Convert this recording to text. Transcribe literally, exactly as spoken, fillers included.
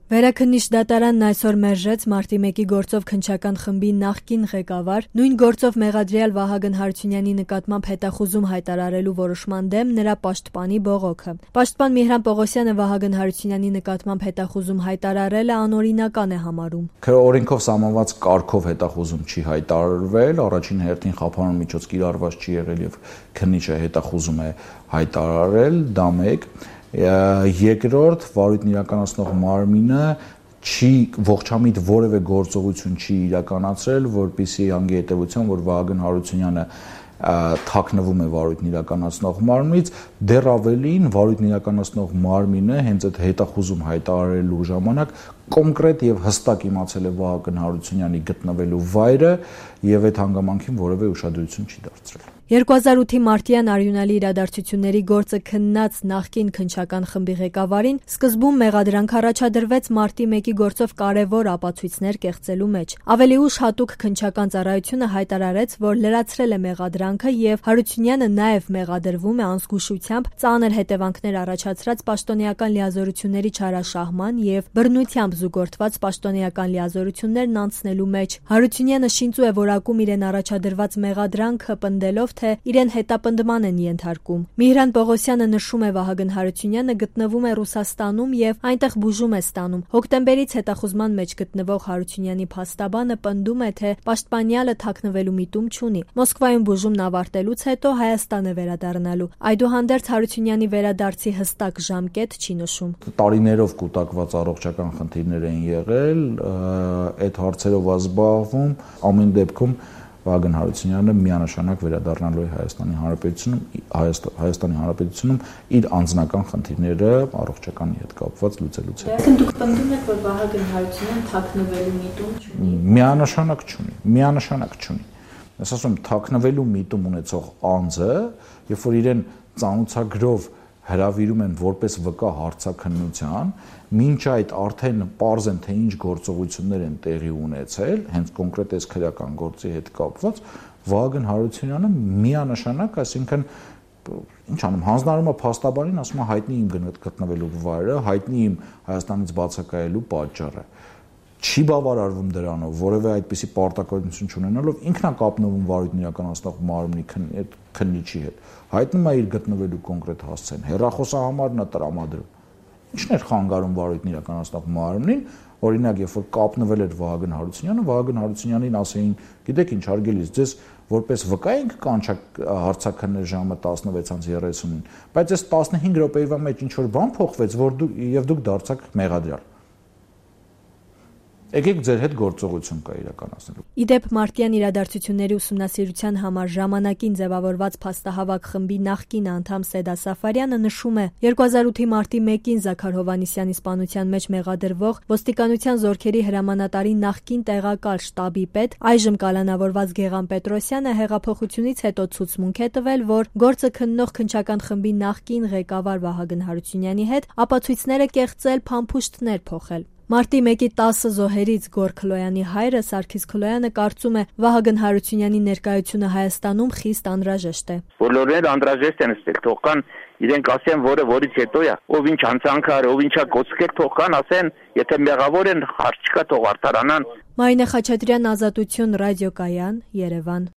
Վերաքննիչ դատարանն այսօր մերժեց մարտի մեկի գործով քննչական խմբի նախկին ղեկավար, նույն գործով մեղադրյալ Վահագն Հարությունյանի նկատմամբ հետախուզում հայտարարելու որոշման դեմ նրա պաշտպանի բողոքը։ Պաշտպան Միհրան Պողոսյանը Վահագն Հարությունյանի նկատմամբ հետախուզում հայտարարելը անօրինական է համարում։ Օրենքով սահմանված կարգով հետախուզում չի հայտարարվել, առաջին հերթին խափանուն միջոց կիրառված չի եղել եւ քննիչը հետախուզում է հայտարարել, դա մեկ։ Երկրորդ, վարույթն իրականացնող մարմինը չի ողջամիտ որևէ գործողություն չի իրականացրել, որպեսզի հանգի հետևության, որ Վահագն Հարությունյանը թաքնվում է վարույթն իրականացնող մարմնից, դեռ ավելին վարույթն իրականացնող մարմինը հենց այդ հետախուզում հայտարարելու ժամանակ կոնկրետ եւ հստակ իմացել է Վահագն Հարությունյանի գտնվելու վայրը եւ այդ հանգամանքին որևէ ուշադրություն չի դարձրել։ երկու հազար ութի մարտյան արյունալի իրադարձությունների գործը քննած նախկին քննչական խմբի ղեկավարին սկզբում մեղադրանք առաջադրվեց մարտի մեկի գործով կարևոր ապացույցներ կեղծելու մեջ։ Ավելի ուշ հատուկ քննչական ծառայությունը հայտարարեց, որ լրացրել է մեղադրանքը եւ Հարությունյանը նաեւ մեղադրվում է անզգուշությամբ ծանր հետևանքներ առաջացրած պաշտոնեական լիազորությունների չարաշահման եւ բռնությամբ զուգորդված պաշտոնեական լիազորություններն անցնելու մեջ։ Հարությունյանը շինծու է որակում իրեն առաջադրված մեղադրանքը պնդելով, թե իրեն հետապնդման են ենթարկում։ Միհրան Պողոսյանը նշում է Վահագն Հարությունյանը գտնվում է Ռուսաստանում եւ այնտեղ բուժում է ստանում։ Հոկտեմբերից հետախուզման մեջ գտնվող Հարությունյանի փաստաբանը պնդում է, թե պաշտպանյալը թաքնվելու միտում չունի։ Մոսկվայում բուժումն ավարտելուց հետո Հայաստան է վերադառնալու։ Այդուհանդերձ Հարությունյանի վերադարձի հստակ ժամկետ չի նշում։ Տարիներով կուտակված առողջական խնդիրներ են եղել, այդ հարցերով զբաղվում, ամեն դեպքում Վահագն Հարությունյանը միանշանակ վերադառնալու է Հայաստանի Հանրապետությունում, Հայաստանի Հանրապետությունում իր անձնական խնդիրները առողջականի հետ կապված լուծելուց հետո։ Այսինքն դուք պնդում եք, որ Վահագն Հարությունյանը թաքնվելու միտում չունի։ Միանշանակ չունի, միանշանակ չունի։ Ես ասում եմ, թաքնվելու միտում ունեցող անձը, երբ որ իրեն ծանոթագրով հրավիրում են որպես վկա հարցաքննության, մինչ այդ արդեն պարզ են, թե ինչ գործողություններ են տեղի ունեցել, հենց կոնկրետ այս քրեական գործի հետ կապված, Վահագն Հարությունյանը միանշանակ, այսինքն ինչ անում, հանձնարարում է փաստաբանին, ասում է հայտնի իմ գտնվելու վայրը, հայտնի իմ Հայաստանից բացակայելու պատճառը։ Չի բավարարվում դրանով, որևէ այդպիսի պարտականություն չունենալով ինքն է կապնվում վարույթն իրականացնող մարմնի քննիչի հետ, հայտնում է իր գտնվելու կոնկրետ հասցեն, հեռախոսահամարն է տրամադրում։ Ինչն էր խանգարում վարույթն իրականացնող մարմնին, օրինակ, երբ որ կապնվել էր Վահագն Հարությունյանը, Վահագն Հարությունյանին ասեին, գիտեք ինչ, հարգելիս, ձեզ որպես վկա ենք կանչակ հարցաքննել ժամը տասնվեց երեսունին, բայց այս տասնհինգ րոպեվա մեջ ինչ որ բան փոխվեց, որ դու եւ դուք դարձաք մեղադրյալ։ Եկեք ձեր հետ գործողություն կա իրականացնելու։ Իդեպ մարտյան իրադարձությունների ուսումնասիրության համար ժամանակին ձևավորված փաստահավաք խմբի նախկին անդամ Սեդա Սաֆարյանը նշում է, երկու հազար ութի մարտի մեկին Զաքար Հովհաննիսյանի սպանության մեջ մեղադրվող ոստիկանության զորքերի հրամանատարի նախկին տեղակալ շտաբի պետ, այժմ կալանավորված Գեղամ Պետրոսյանը հեղափոխությունից հետո ցուցմունք է տվել, որ գործը քննող քննչական խմբի նախկին ղեկավար Վահագն Հարությունյանի հետ ապացույցները կեղծել, փամփուշտներ փոխել։ Մարտի մեկի տասը զոհերից Գոր Քլոյանի հայրը Սարգիս Քլոյանը կարծում է, Վահագն Հարությունյանի ներկայությունը Հայաստանում խիստ անհրաժեշտ է։ Բոլորներ անհրաժեշտ են ստել, թող կան իրենք ասեն, որը որից հետո է, ով ինչ անցանք ար, ով ինչա կոծկեր, թող կան ասեն, եթե մեղավոր են, հարց չկա, թող արդարանան։ Մարինե Խաչատրյան, Ազատություն, ռադիոկայան, Երևան։